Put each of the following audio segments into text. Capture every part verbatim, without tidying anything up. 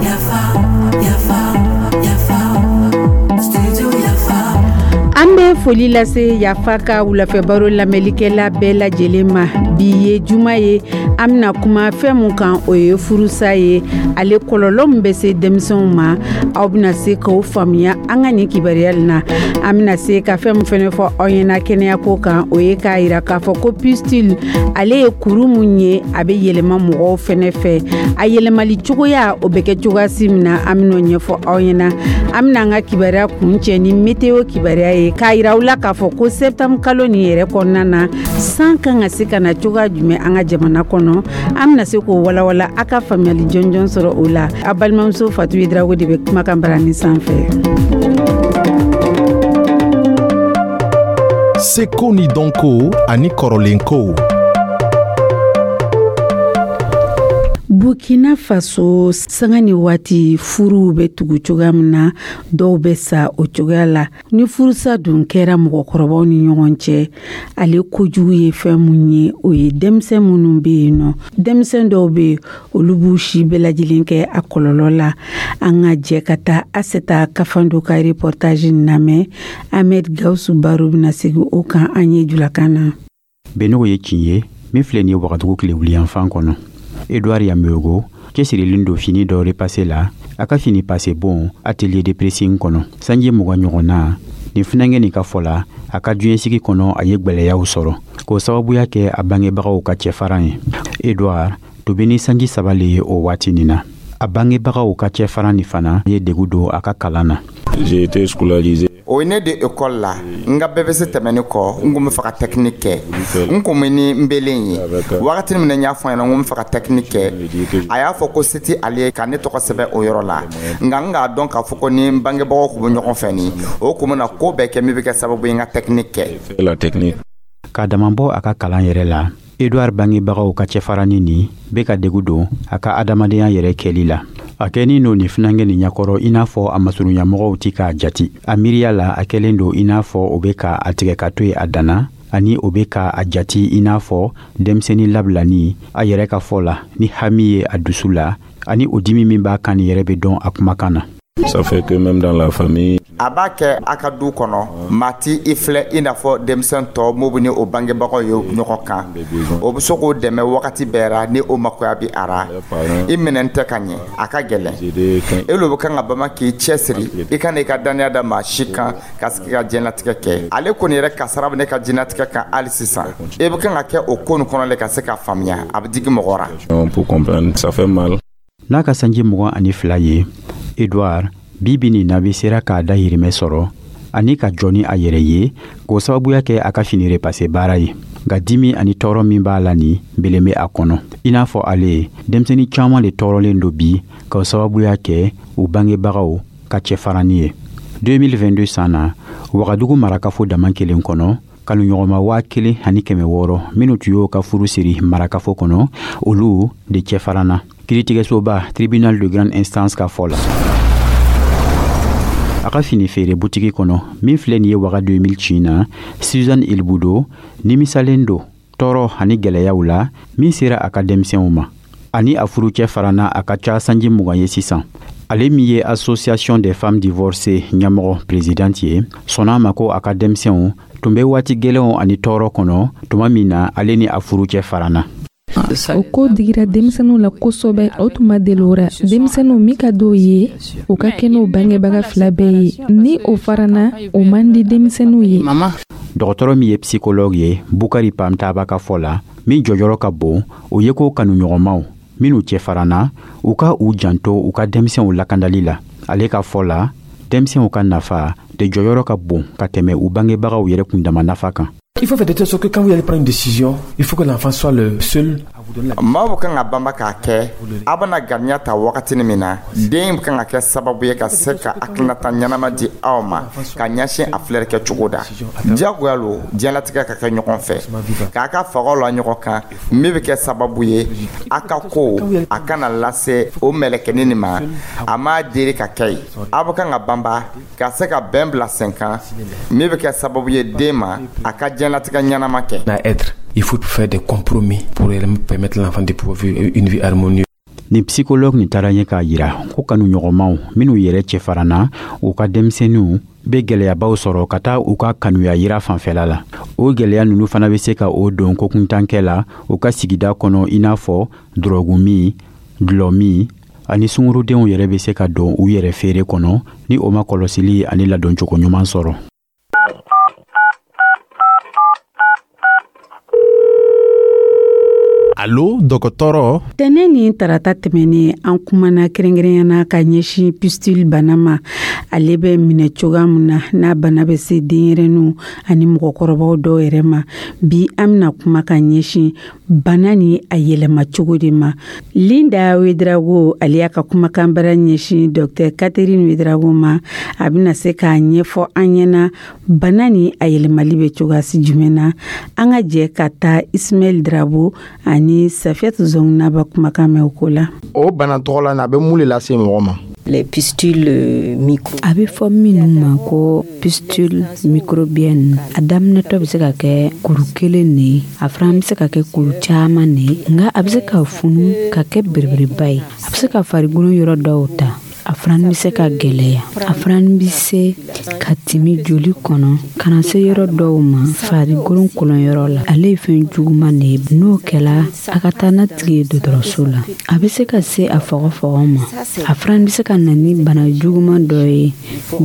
Yafa, yafa, yafa, studio Yafa. An bɛ foli lase Yafa ka wulafɛ baro lamɛnlikɛla bɛɛ lajɛlen ma. Bi ye juma ye, an bɛna kuma fɛn mun kan, o ye furusa ye, ale kɔlɔlɔ min bɛ se denmisɛnw ma. Aw bɛna se k'o faamuya an ka nin kibaruya nin na. An bɛna se ka fɛn min fɛnɛ fɔ aw ɲɛna kɛnɛyako kan, o ye k'a yira k'a fɔ ko pustule, ale ye kuru mun ye, a bɛ yɛlɛma mɔgɔw fɛnɛ fɛ. A yɛlɛmali cogoya, o bɛ kɛ cogoya si min na, an bɛn'o ɲɛfɔ aw ɲɛna. An bɛna an ka kibaruya kuncɛ ni météo kibaruya ye, k'a yira aw la k'a fɔ ko septembre kalo nin yɛrɛ kɔnɔna na, san kan ka se ka na cogoya jumɛn an ka jamana kɔnɔ. An bɛna se k'o walawala, a ka faamuyali jɔnjɔn sɔrɔ o la. A balimamuso Fatu Yedrago de bɛ kumakan barani sanfɛ. Seko ni dɔnko ani kɔrɔlenkow. Burkina Faso, sanga ni waati furuw bɛ tugu cogoya min na, dɔw bɛ sa o cogoya la. Ni furusa dun kɛra mɔgɔkɔrɔbaw ni ɲɔgɔn cɛ, ale kojugu ye fɛn mun ye, o ye denmisɛn minnu bɛ yen nɔ, denmisɛn dɔw bɛ yen, olu b'u si bɛɛ lajɛlen kɛ a kɔlɔlɔ la. An ka jɛ ka taa Aseta Kafando ka reportage lamɛn. Ahmed Gawusu Baro bɛna segin o kan an ye julakan na. Benogo ye kin ye min filɛ nin ye Wagadugu tile wuliyanfan kɔnɔ. Edouard Yameogo cɛsirilen don fini dɔ repase la a ka fini pase bon atelier de pressing kɔnɔ. Sanji mugan ɲɔgɔn na nin funankɛ nin ka fɔ la, a ka diɲɛsigi kɔnɔ, a ye gwɛlɛyaw sɔrɔ k'o sababuya kɛ a bangebagaw ka cɛfaran ye. Edouard tun bɛ ni sanji saba le ye o waati nin na. A bangebagaw ka cɛfaran nin fana ye degu don a ka kalan na. J'ai été scolarisé. O ye ne de ekɔli la. N ka B P C tɛmɛnen kɔ, n kun bɛ fɛ ka technique kɛ. N kun bɛ ni n belen ye wagati min na, n y'a fɔ a ɲɛna n ko n bɛ fɛ ka technique kɛ. A y'a fɔ ko se tɛ ale ye ka ne tɔgɔ sɛbɛn o yɔrɔ la, nka n k'a dɔn k'a fɔ ko ni n bangebagaw kun bɛ ɲɔgɔn fɛ nin, o kun bɛna ko bɛɛ kɛ min bɛ kɛ sababu ye n ka technique kɛ. La technique. K'a dama bɔ a ka kalan yɛrɛ la, Edouard bangebagaw ka cɛfarani nin bɛ ka degu don a ka adamadenya yɛrɛ kɛli la. A kɛnin don nin funankɛ nin ɲɛkɔrɔ i n'a fɔ a masurunyamɔgɔw ti k'a jati. A miiriya la, a kɛlen don i n'a fɔ o bɛ ka a tigɛ ka to yen a danna, ani o bɛ ka a jati i n'a fɔ denmisɛnnin labilani. A yɛrɛ ka fɔ la, ni hami ye a dusu la ani o dimi min b'a kan nin yɛrɛ bɛ dɔn a kumakan na. Ça fait que même dans la famille. A b'a kɛ a ka du kɔnɔ, maa ti i filɛ i n'a fɔ denmisɛn tɔ mun bɛ ni o bangebagaw ye ɲɔgɔn kan, o bɛ se k'o dɛmɛ wagati bɛɛ ra ni o makoya bɛ a ra. I minɛn tɛ ka ɲɛ, a ka gɛlɛn. E lo bɛ kan ka bama k'i cɛsiri, i kana i ka dannaya da maa si kan ka sigi ka diɲɛlatigɛ kɛ. Ale kɔni yɛrɛ kasara bɛ ne ka diɲɛlatigɛ kan hali sisan. E bɛ kan ka kɛ o ko nin kɔnɔ le ka se k'a faamuya, a bɛ digi mɔgɔ ra. Pour comprendre, ça fait mal. N'a ka sanji mugan ani fila ye, Edouard bi bi nin na bi sera k'a dahirimɛ sɔrɔ ani ka jɔ ni a yɛrɛ ye, k'o sababuya kɛ a ka fini repase baara ye. Nka dimi ani tɔɔrɔ min b'a la nin belen bɛ a kɔnɔ. I n'a fɔ ale ye, denmisɛnnin caman de tɔɔrɔlen don bi k'o sababuya kɛ u bangebagaw ka cɛfarani ye. deux mille vingt-deux san na, Wagadugu marakafo dama kelen kɔnɔ, kanuɲɔgɔnma waa kelen ani kɛmɛ wɔɔrɔ minnu tun y'o ka furu siri marakafo kɔnɔ, olu de cɛfaranna, kiiritigɛsoba tribunal de grande instance ka fɔ la. A ka fini feere butigi kɔnɔ min filɛ nin ye Waga deux mille cin na, Suzanne Ilbudo nimisalen don tɔɔrɔ ani gwɛlɛyaw la min sera a ka denmisɛnw ma. Ani a furucɛ faranna a ka ca sanji mugan ye sisan. Ale min ye Association des femmes divorcées ɲɛmɔgɔ présidente ye, sɔnna a ma ko a ka denmisɛnw tun bɛ waati gwɛlɛnw ani tɔɔrɔ kɔnɔ tuma min na ale ni a furucɛ faranna. O ko digira denmisɛnninw la kosɛbɛ, o tun ma deli o ra. Denmisɛnninw min ka d'o ye, u ka kɛ n'o bangebaga fila bɛɛ ye, ni o farana, o man di denmisɛnninw ye. Dɔgɔtɔrɔ min ye psychologue ye, Bukari Pamtaba ka fɔ la, min jɔyɔrɔ ka bon, o ye ko kanuɲɔgɔnmaw minnu cɛfaranna, u ka u janto u ka denmisɛnw lakandali la. Ale ka fɔ la, denmisɛnw ka nafa de jɔyɔrɔ ka bon ka tɛmɛ u bangebagaw yɛrɛ kundama nafa kan. Il faut faire de telle sorte que quand vous allez prendre une décision, il faut que l'enfant soit le seul à vous donner la Maaw bɛ kan ka banba k'a kɛ, a bɛna ganiya ta wagatinin min na, den bɛ kan ka kɛ sababu ye ka se ka hakilinata ɲɛnama di aw ma ka ɲɛsin a filɛri kɛ cogo da. Diyagoya lo diɲɛlatigɛ ka kɛ ɲɔgɔn fɛ, k'a ka fagaw la ɲɔgɔn kan, min bɛ kɛ sababu ye a ka ko a kana lase o mɛlɛkɛnin nin ma, a m'a deli ka kɛ yen. A bɛ kan ka banba ka se ka bɛn bila sen kan, min bɛ kɛ sababu ye den ma a ka diɲɛlatigɛ ɲɛnama kɛ. À être. Il faut faire des compromis pour permettre à l'enfant de pouvoir vivre une vie harmonieuse. Nin psychologue nin taara ɲɛ k'a yira ko kanuɲɔgɔnmaw minw yɛrɛ cɛfaranna, u ka denmisɛnninw be gwɛlɛyabaw sɔrɔ ka taa u ka kanuya yira fanfɛla la. O gwɛlɛya nunu fana be se ka o don kokuntankɛ la u ka sigida kɔnɔ, i n'a fɔ dɔrɔgu min, dulɔ min ani sungurudenw yɛrɛ be se ka don u yɛrɛ feere kɔnɔ ni o ma kɔlɔsili ani ladoncogo ɲuman sɔrɔ. Alo, dɔgɔtɔrɔ. Tɛnɛ ni tarata tɛmɛnen, an kumana kɛrɛnkɛrɛnyana ka ɲɛsin pustule bana ma, ale bɛ minɛ cogoya min na, n'a bana bɛ se denyɛrɛninw ani mɔgɔkɔrɔbaw dɔw yɛrɛ ma. Bi, an bɛna kuma ka ɲɛsin bana ni a yɛlɛma cogo de ma. Linda Wedrago, ale y'a ka kumakan bara ɲɛsin Docteur Catherine Wedrago ma. A bɛna se k'a ɲɛfɔ an ɲɛna bana ni a yɛlɛmali bɛ cogoya si jumɛn na. An ka jɛ ka taa Ismaɛl Drabo ani Safiyatu Zɔngunaba kumakan mɛn o ko la. O bana tɔgɔ la, a bɛ mun de lase mɔgɔ ma? Les pustules micro. A bɛ fɔ minnu ma ko pustule microbienne, a daminɛtɔ bɛ se ka kɛ kuru kelen de ye, a fana bɛ se ka kɛ kuru caman de ye, nka a bɛ se ka funu ka kɛ belebeleba ye. A bɛ se ka farikolo yɔrɔ dɔw ta, a fana bɛ se ka gɛlɛya, a fana bɛ se ka timi joli kɔnɔ ka na se yɔrɔ dɔw ma farikolo kolonyɔrɔ la. Ale ye fɛn juguman de ye. N'o kɛla, a ka taa n'a tigi ye dɔgɔtɔrɔso la. A bɛ se ka se a fɔgɔfɔgɔ ma. A fana bɛ se ka na ni bana juguman dɔ ye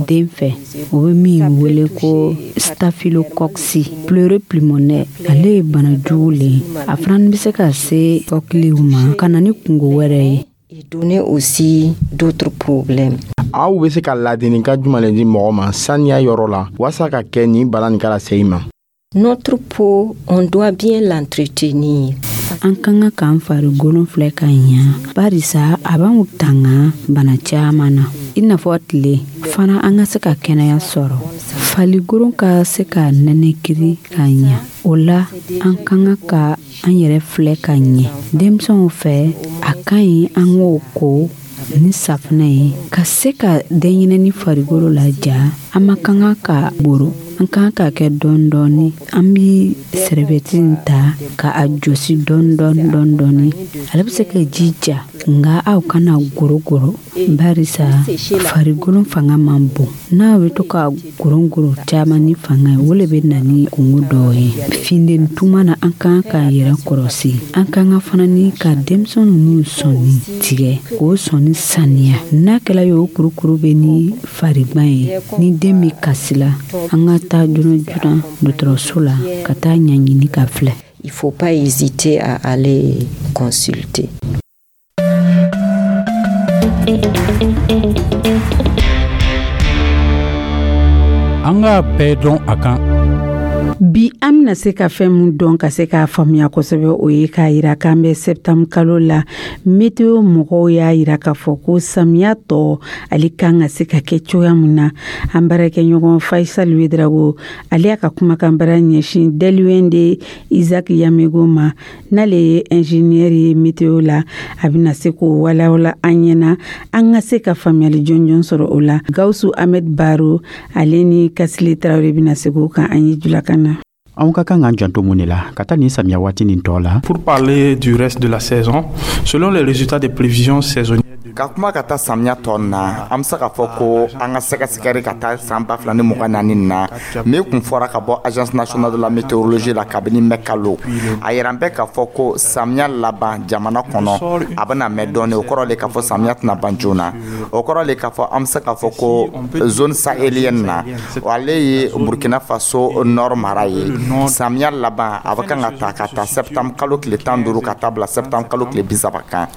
den fɛ, o bɛ min wele ko staphylocoque pleuropulmonaire. Ale ye bana jugu le ye. A fana bɛ se ka se kɔkiliw ma ka na ni kungo wɛrɛ ye. Et donner aussi d'autres problèmes. Aw bɛ se ka ladilikan jumɛn le di mɔgɔ ma saniya yɔrɔ la walasa ka kɛ nin bana nin kana se i ma? Notre peau, on doit bien l'entretenir. An ka kan k'an farikolo filɛ ka ɲa, barisa a b'anw tanga bana caman na, i n'a fɔ tile fana. An ka se ka kɛnɛya sɔrɔ, farikolo ka se ka nɛnɛkiri ka ɲa, o la an ka kan ka an yɛrɛ filɛ ka ɲɛ. Denmisɛnw fɛ, a ka ɲi an k'o ko ni safunɛ ye ka se ka denɲɛrɛnin farikolo laja. An ma kan ka goro, an kan ka kɛ dɔɔni dɔɔni. An bi serviette ta ka a jɔsi dɔɔni dɔɔni dɔɔni dɔɔni. Ale bɛ se ka ji ja, nka aw kana goro goro, barisa farikolo fanga man bon. N'a bɛ to ka goro goro caman ni fanga ye, o le bɛ na ni kungo dɔw ye. Funteni tuma na, an kan k'an yɛrɛ kɔlɔsi. An kan ka fana ni ka denmisɛn ninnu sɔnni tigɛ k'o sɔnni saniya. N'a kɛla ye o kurukuru bɛ ni farigban ye, ni den bɛ kasi la, an ka taa joona joona dɔgɔtɔrɔso la ka taa ɲɛɲini ka filɛ. Il faut pas hésiter à aller consulter. An k'a bɛɛ dɔn a kan. Bi, an bɛna se ka fɛn min dɔn ka se k'a faamuya kosɛbɛ, o ye k'a yira k'an bɛ septembre kalo la. Météo mɔgɔw y'a yira k'a fɔ ko samiya tɔ ale kan ka se ka kɛ cogoya min na. An baarakɛɲɔgɔn Faisal Wedrago, ale y'a ka kumakan bara ɲɛsin Deliwende Isaac Yamego ma, n'ale ye ingénieur ye météo la. A bɛna se k'o walawala an ɲɛna, an ka se ka faamuyali jɔnjɔn sɔrɔ o la. Gawusu Ahmed Baro, ale ni Kasile Tarawele bɛna se k'o kan an ye julakan na. Anw ka kan k'an janto mun de la ka taa nin samiya waati nin tɔ la? Pour parler du reste de la saison, selon les résultats des prévisions saisonnières, Ka kuma ka taa samiya tɔ na, an be se k'a fɔ ko an ka sɛgɛsɛgɛri ka taa san ba fila ni mugan naani na, min kun fɔra ka bɔ Agence nationale de la météorologie la kabini mɛ kalo, a yira bɛ k'a fɔ ko samiya laban jamana kɔnɔ, a bɛna mɛn dɔɔni. O kɔrɔ le k'a fɔ samiya tɛna ban joona. O kɔrɔ le k'a fɔ an be se k'a fɔ ko zone sahélienne na, ale ye Burkina Faso nord mara ye, samiya laban a bɛ kan ka ta ka taa septembre kalo tile tan duuru ka taa bila septembre kalo tile bi saba kan.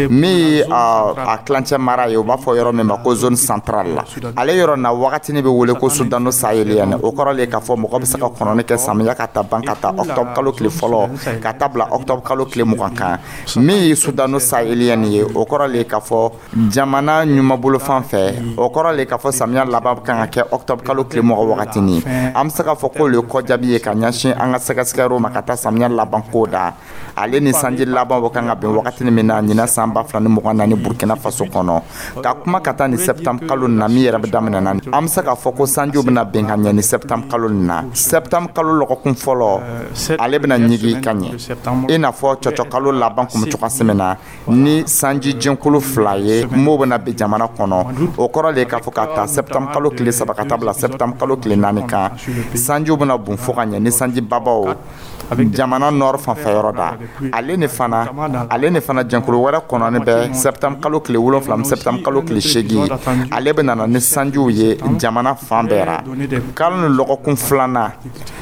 Min ye a tilancɛ mara ye, u b'a fɔ yɔrɔ min ma ko zone centrale la, ale yɔrɔ na wagatini bɛ wele ko soudano-sahélienne. O kɔrɔ le k'a fɔ mɔgɔ bɛ se ka kɔnɔni kɛ samiya ka taa ban ka taa octobre kalo tile fɔlɔ ka taa bila octobre kalo tile mugan kan. Min ye soudano-sahélienne ye, o kɔrɔ le k'a fɔ jamana ɲumanbolo fan fɛ, o kɔrɔ le k'a fɔ samiya laban kan ka kɛ octobre kalo tile mugan wagatini. An bɛ se k'a fɔ k'o le kɔjaabi ye ka ɲɛsin an ka sɛgɛsɛgɛyɔrɔ ma ka taa samiya laban ko da, ale ni sanji laban bɛ kan ka bɛn wagatini min na ɲinan san ba fila ni mugan naani Burkina Faso kɔnɔ, ka kuma ka taa ni septembre kalo nin na min yɛrɛ bɛ daminɛ na, an bɛ se k'a fɔ ko sanjiw bɛna bin ka ɲɛ ni septembre kalo nin na. Septembre kalo lɔgɔkun fɔlɔ, ale bɛna ɲigi ka ɲɛ, i n'a fɔ cɔcɔ kalo laban kun bɛ cogoya min na ni sanji jɛnkulu fila ye m'o bɛna bin jamana kɔnɔ. O kɔrɔ de ye k'a fɔ ka ta septembre kalo tile saba ka taa bila septembre kalo tile naani kan, sanjiw bɛna bon fo ka ɲɛ ni sanji babaw jamana nord fanfɛ yɔrɔ da. Ale ni fana ale ni fana jɛnkulu wɛrɛ kɔnɔni bɛ septembre kalo tile wolonfila ni septembre kalo tile seegin, ale bɛ nana ni sanjiw ye jamana fan bɛɛ ra. Kalo ni lɔgɔkun filanan,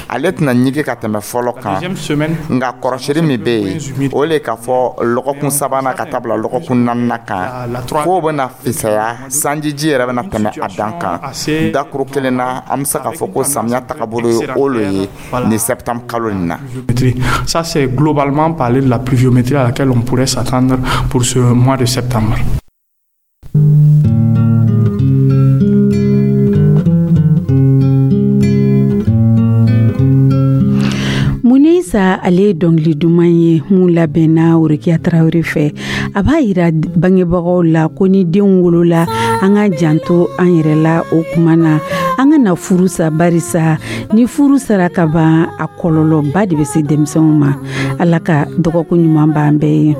ale tɛna ɲigi ka tɛmɛ fɔlɔ kan, nka kɔrɔsiri min bɛ yen, o le k'a fɔ lɔgɔkun sabanan ka taa bila lɔgɔkun naaninan kan, k'o bɛna fisaya, sanjiji yɛrɛ bɛna tɛmɛ a dan kan. Dakuru kelen na, an bɛ se k'a fɔ ko samiya tagabolo ye o le ye ni septembre kalo nin na. Ça, c'est globalement parler de la pluviométrie à laquelle on pourrait s'attendre pour ce mois de septembre. Munisa, ale ye dɔnkili duman ye mun labɛnna Worokiya Tarawele fɛ. A b'a yira bangebagaw la ko ni denw wolola, an ka janto an yɛrɛ la. O kuma na, an ka na furu sa, barisa ni furu sara ka ban, a kɔlɔlɔba de bɛ se denmisɛnw ma. Ala ka dɔgɔkun ɲuman b'an bɛɛ ye.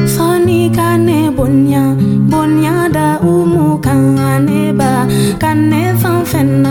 Sani ka ne bonya, bonya da umu kan, ne ba ka ne fan fɛn.